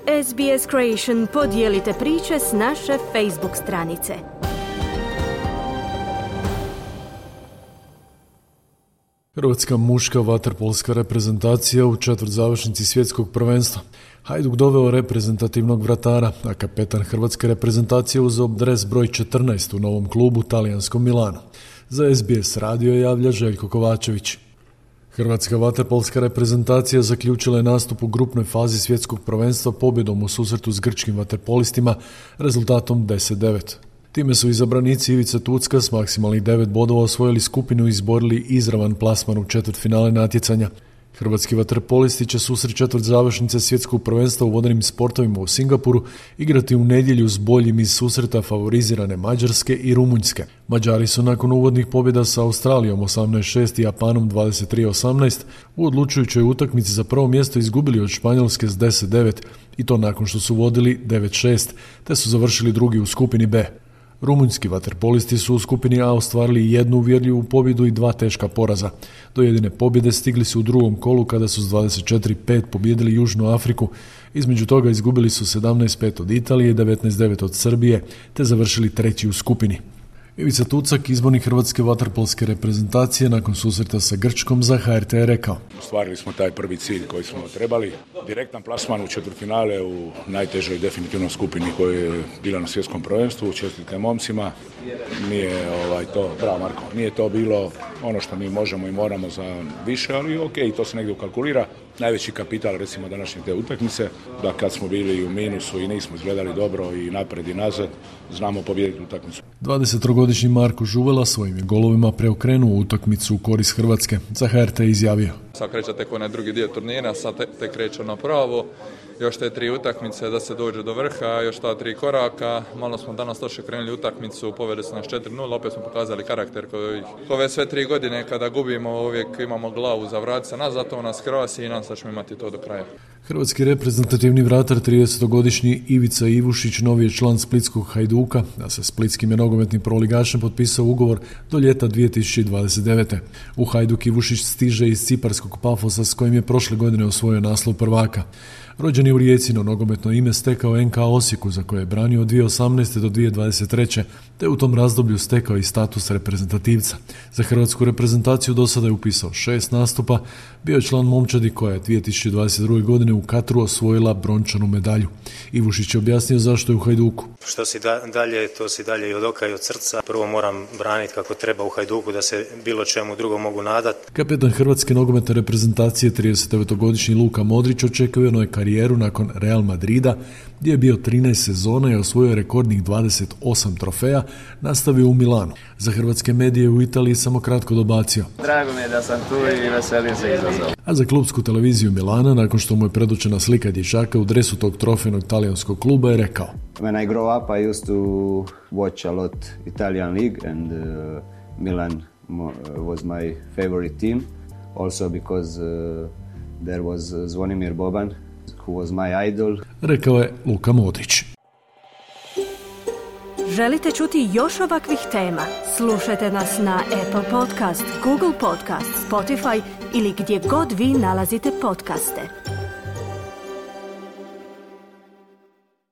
SBS Creation podijelite priče s naše Facebook stranice. Hrvatska muška vaterpolska reprezentacija u četvrtzavršnici svjetskog prvenstva. Hajduk doveo reprezentativnog vratara, a kapetan hrvatske reprezentacije uzeo dres broj 14 u novom klubu talijanskom Milanu. Za SBS radio javlja Željko Kovačević. Hrvatska vaterpolska reprezentacija zaključila je nastup u grupnoj fazi svjetskog prvenstva pobjedom u susretu s grčkim vaterpolistima rezultatom 10-9. Time su izabranici Ivica Tucka s maksimalnih 9 bodova osvojili skupinu i izborili izravan plasman u četvrtfinale natjecanja. Hrvatski vaterpolisti će susret četvrtzavršnice svjetskog prvenstva u vodenim sportovima u Singapuru igrati u nedjelju s boljim iz susreta favorizirane Mađarske i Rumunjske. Mađari su nakon uvodnih pobjeda sa Australijom 18-6 i Japanom 23-18 u odlučujućoj utakmici za prvo mjesto izgubili od Španjolske s 10-9 i to nakon što su vodili 9-6 te su završili drugi u skupini B. Rumunjski vaterpolisti su u skupini A ostvarili jednu uvjerljivu pobjedu i 2 teška poraza. Do jedine pobjede stigli su u drugom kolu kada su s 24-5 pobijedili Južnu Afriku. Između toga izgubili su 17-5 od Italije i 19-9 od Srbije, te završili treći u skupini. Ivica Tucak, izbornik hrvatske vaterpolske reprezentacije, nakon susreta sa Grčkom za HRT je rekao: Ostvarili smo taj prvi cilj koji smo trebali. Direktan plasman u četvrtfinale u najtežoj definitivno skupini koja je bila na svjetskom prvenstvu. Čestitke momcima. Nije to, bravo Marko, nije to bilo ono što mi možemo i moramo za više, ali ok, to se negdje ukalkulira. Najveći kapital recimo današnje te utakmice, da kad smo bili u minusu i nismo izgledali dobro i napred i nazad, znamo pobijediti utakmicu. 23-godišnji Marko Žuvela svojim je golovima preokrenuo utakmicu u korist Hrvatske. Za HRT je izjavio: Sad kreće tek onaj drugi dio turnira, sad tek kreće ono pravo. Još te 3 utakmice da se dođe do vrha, još ta 3 koraka. Malo smo danas loše krenuli utakmicu, povedali su nas 4-0, opet smo pokazali karakter koji ove sve 3 godine kada gubimo uvijek imamo glavu za vrat se nazad, to nas krasi i nam sad ćemo imati to do kraja. Hrvatski reprezentativni vratar 30-godišnji Ivica Ivušić novi je član splitskog Hajduka, a sa splitskim je nogometnim prvoligašem potpisao ugovor do ljeta 2029. U Hajduk Ivušić stiže iz ciparskog Pafosa s kojim je prošle godine osvojio naslov prvaka. Rođen je u Rijeci, no nogometno ime stekao NK Osijeku za koje je branio od 2018. do 2023. te u tom razdoblju stekao i status reprezentativca. Za hrvatsku reprezentaciju do sada je upisao 6 nastupa, bio je član momčadi koja je 2022. godine u Katru osvojila brončanu medalju. Ivušić je objasnio zašto je u Hajduku. Što si dalje, to si dalje i od oka i od srca. Prvo moram braniti kako treba u Hajduku da se bilo čemu drugom mogu nadati. Kapetan hrvatske nogometne reprezentacije 39-godišnji Luka Modrić očekuje karijeru nakon Real Madrida, gdje je bio 13 sezona i osvojio rekordnih 28 trofeja, nastavio u Milanu. Za hrvatske medije u Italiji samo kratko dobacio: Drago mi je da sam tu i veselim se izazov. A za klubsku televiziju Milana, nakon što mu je predočena slika dječaka u dresu tog trofejnog talijanskog kluba, je rekao: When I grow up, I used to watch a lot Italian league and Milan was my favorite team. Also because there was Zvonimir Boban, who was my idol. Rekao je Luka Modrić. Želite čuti još ovakvih tema? Slušajte nas na Apple Podcast, Google Podcast, Spotify ili gdje god vi nalazite podcaste.